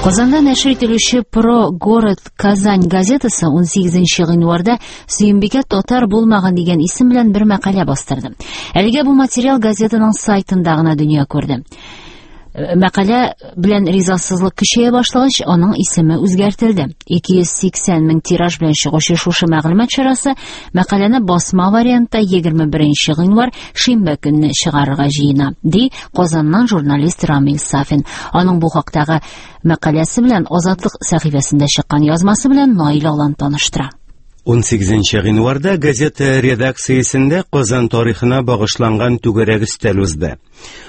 Казанда нәшер ителүче Про город Казань газетасы 18 гыйнварда Сөембикә татар булмаган дигән исем белән бер мәкалә бастырды. Әлегә бу материал газетаның сайтында гына дөнья күрде. Мәкалә белән ризасызлык көчәя башлагач, аның исеме үзгәртелде. 280 мең тираж белән чыгучы шушы мәгълүмат чарасы мәкаләне басма вариантта 21 гыйнвар шимбә көнне чыгарырга җыена, ди Казаннан журналист Рамил Сафин. Аның бу хактагы мәкаләсе белән Азатлык сәхифәсендә чыккан язмасы белән Наил Алан таныштыра. 18 гыйнварда газета редакциясендә Казан тарихына багышланган түгәрәк өстәл узды.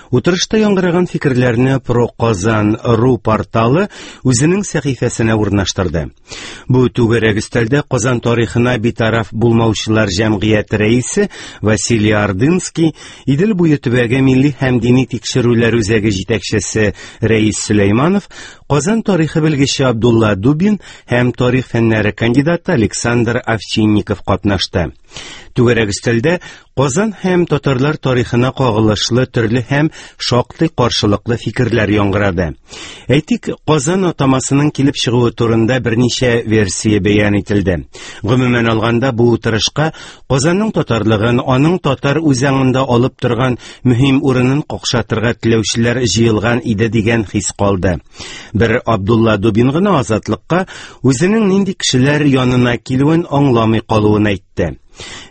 Утырышта яңгыраган фикерләрне ProKazan.ru порталы үзенең сәхифәсенә урнаштырды. Бу түгәрәк өстәлдә Казан тарихына битараф булмаучылар җәмгыяте рәисе Василий Ордынский, Идел буе төбәге милли һәм дини тикшерүләр үзәге җитәкчесе Рәис Сөләйманов, Казан тарихы белгече Абдулла Дубин һәм тарих фәннәре кандидаты Александр Овчинников катнашты. Түгәрәк өстәлдә Казан һәм татарлар тарихына кагылышлы төрле һәм шактый каршылыклы фикерләр яңгырады. Әйтик, Казан атамасының килеп чыгуы турында берничә версия бәян ителде. Гомумән алганда, бу утырышка Казанның татарлыгын, аның татар үзаңында алып торган мөһим урынын какшатырга теләүчеләр җыелган иде дигән хис калды. Бер Абдулла Дубин гына Азатлыкка үзенең нинди кешеләр янына килүен аңламый калуын әйтте.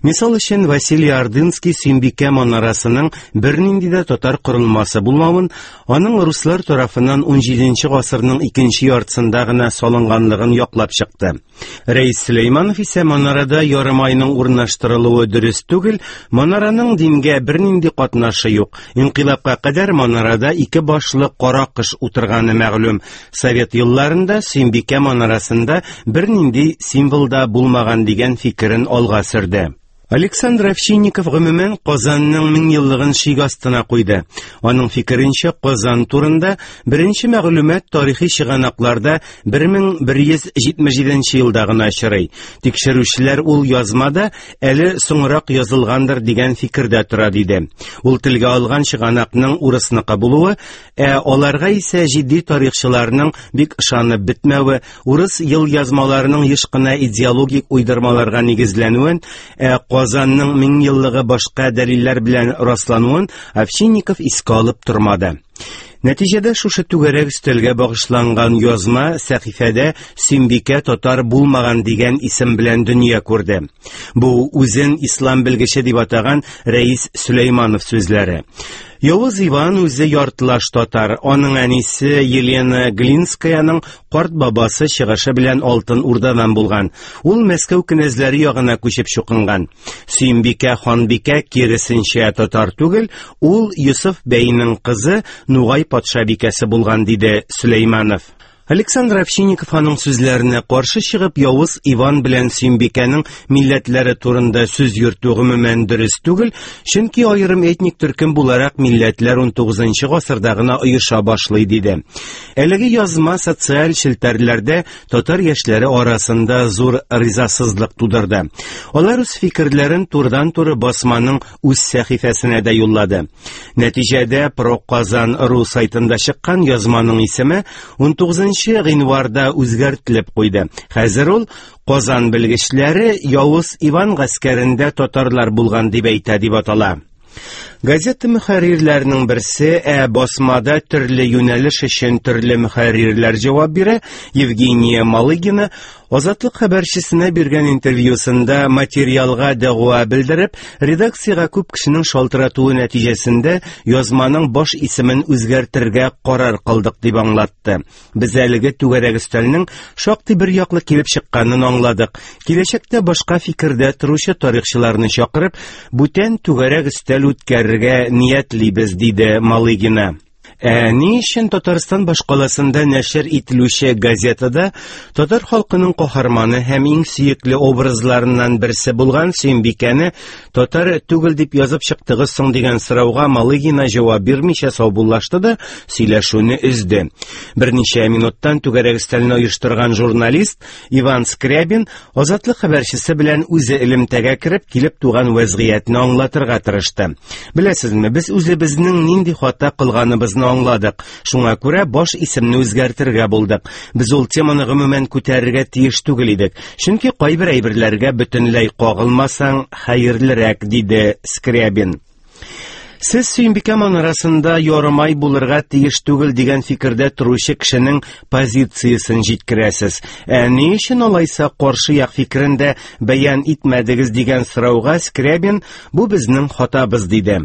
Мисал өчен, Василий Ордынский Сөембикә манарасының бернинди дә татар корылмасы булмавын, аның руслар тарафыннан 17 гасырның икенче яртысында гына салынганлыгын яклап чыкты. Рәис Сөләйманов исә манарада ярымайның урнаштырылуы дөрес түгел, манараның дингә бернинди катнашы юк. Инкыйлабка кадәр манарада ике башлы кара кош утырганы мәгълүм. Совет елларында Сөембикә манарасында бернинди символ да булмаган дигән фикерен алга сөрде. Александр Овчинников гомумән Казанның меңьеллыгын шик астына куйды. Аның фикеренчә, Казан турында беренче мәгълүмат тарихи чыганакларда 1177 елда гына очрый. Тикшерүчеләр ул язмада әле соңрак язылгандыр дигән фикердә тора, диде. Ул телгә алган чыганакның урысныкы булуы, ә аларга исә җитди тарихчыларның бик ышанып бетмәве, урыс елъязмаларының еш кына идеологик уйдырмаларга нигезләнүен, ә Казанның меңьеллыгы башка дәлилләр белән раслануын Овчинников искә алып тормады. Нәтиҗәдә шушы түгәрәк өстәлгә багышланган язма сәхифәдә Сөембикә татар булмаган дигән исем белән дөнья күрде. Бу үзен ислам белгече дип атаган Рәис Сөләйманов сүзләре. Явыз Иван үзе яртылаш татар, аның әнисе Елена Глинскаяның карт бабасы чыгышы белән Алтын Урдадан булган. Ул Мәскәү кенәзләре ягына күчеп чукынган. Сөембикә ханбикә киресенчә татар түгел, ул Йосыф бәйнең кызы Нугай патшабикәсе булган, диде Сөләйманов. Александр Овчинников аның сүзләренә каршы чыгып, Явыз Иван белән Сөембикәнең милләтләре турында сүз йөртү гомумән дөрес түгел, чөнки аерым этник төркем буларак милләтләр 19 гасырда гына оеша башлый, диде. Әлеге язма социаль челтәрләрдә татар яшьләре арасында зур ризасызлык тудырды. Алар үз фикерләрен турыдан-туры басманың үз сәхифәсенә дә юллады. Нәтиҗәдә ProKazan.ru сайтында чыккан язманың исеме 19 гыйнварда үзгәртелеп куйды. Хәзер ул Казан белгечләре Явыз Иван гаскәрендә татарлар булган дип әйтә дип атала. Газета мөхәррирләренең берсе, ә басмада төрле юнәлеш өчен төрле мөхәррирләр җавап бирә, Евгения Малыгина Азатлык хәбәрчесенә биргән интервьюсында материалга дәгъва белдереп, редакциягә күп кешенең шалтыратуы нәтиҗәсендә язманың баш исемен үзгәртергә карар кылдык дип аңлатты. Без әлеге түгәрәк өстәлнең шактый бер яклы килеп чыкканын аңладык. Киләчәктә башка фикердә торучы тарихчыларны чакырып, бүтән түгәрәк өстәл үткәрергә ниятлибез, диде Малыгина. Ә ни өчен Татарстан башкаласында нәшер ителүче газетада татар халкының каһарманы һәм иң сөекле образларыннан берсе булган Сөембикәне татар түгел дип язып чыктыгыз соң дигән сорауга Малыгина җавап бирмичә саубуллашты да сөйләшүне өзде. Берничә минуттан түгәрәк өстәлне оештырган журналист Иван Скрябин Азатлык хәбәрчесе белән үзе элемтәгә кереп, килеп туган вәзгыятьне аңлатырга тырышты. Беләсезме, без үзебезнең нинди хата кылганыбызны булганын аңладык. Шуңа күрә баш исемне үзгәртергә булдык. Без ул теманы гомумән күтәрергә тиеш түгел идек. Чөнки кайбер әйберләргә бөтенләй кагылмасаң хәерлерәк, диде Скрябин. Сез Сөембикә манарасында ярымай булырга тиеш түгел дигән фикердә торучы кешенең позициясен җиткерәсез. Ә ни өчен алайса каршы як фикерен дә бәян итмәдегез дигән сорауга Скрябин бу безнең хатабыз диде.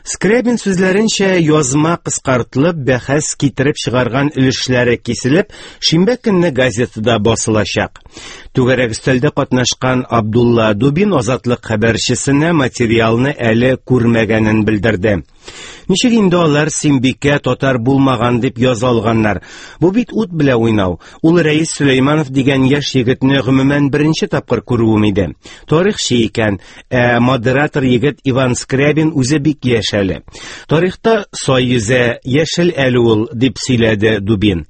Скрябин сүзләренчә, язма кыскартылып, бәхәс китереп чыгарган өлешләре киселеп, шимбә көнне газетада басылачак. Түгәрәк өстәлдә катнашкан Абдулла Дубин Азатлык хәбәрчесенә материалны әле күрмәгәнен белдерде. Ничек инде алар Симбикә татар булмаган дип яза алганнар? Бу бит ут белән уйнау. Ул Рәис Сөләйманов дигән яшь егетне гомумән беренче тапкыр күрүем иде. Тарихчы икән, ә модератор егет Иван Скрябин үзе бик яшь әле. Тарихта сай йөзә, яшел әле ул, дип сөйләде Дубин.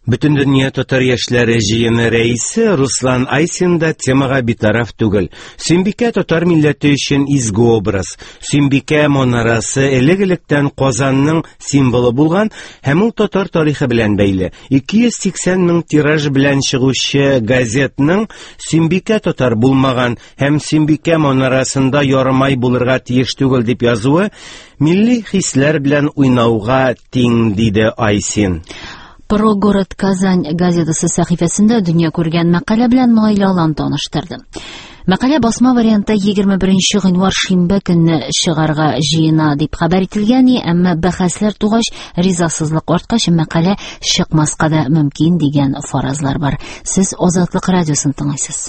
Бөтендөнья татар яшьләре җыены рәисе Руслан Айсин да темага битараф түгел. Сөембикә татар милләте өчен изге образ. Сөембикә манарасы элек-электән Казанның символы булган һәм ул татар тарихы белән бәйле. 280 мең тираж белән чыгучы газетның Сөембикә татар булмаган һәм Сөембикә манарасында ярымай булырга тиеш түгел дип язуы милли хисләр белән уйнауга тиң, диде Айсин. Про город Казань газетасы сәхифәсендә дөнья күргән мәкалә белән Наилә Алан таныштырды. Мәкалә басма вариантта 21 гыйнвар шимбә көнне чыгарга җыена дип хәбәр ителгән, әмма бәхәсләр тугач, ризасызлык арткач, мәкалә чыкмаска да мөмкин дигән фаразлар бар. Сез Азатлык радиосын тыңлыйсыз.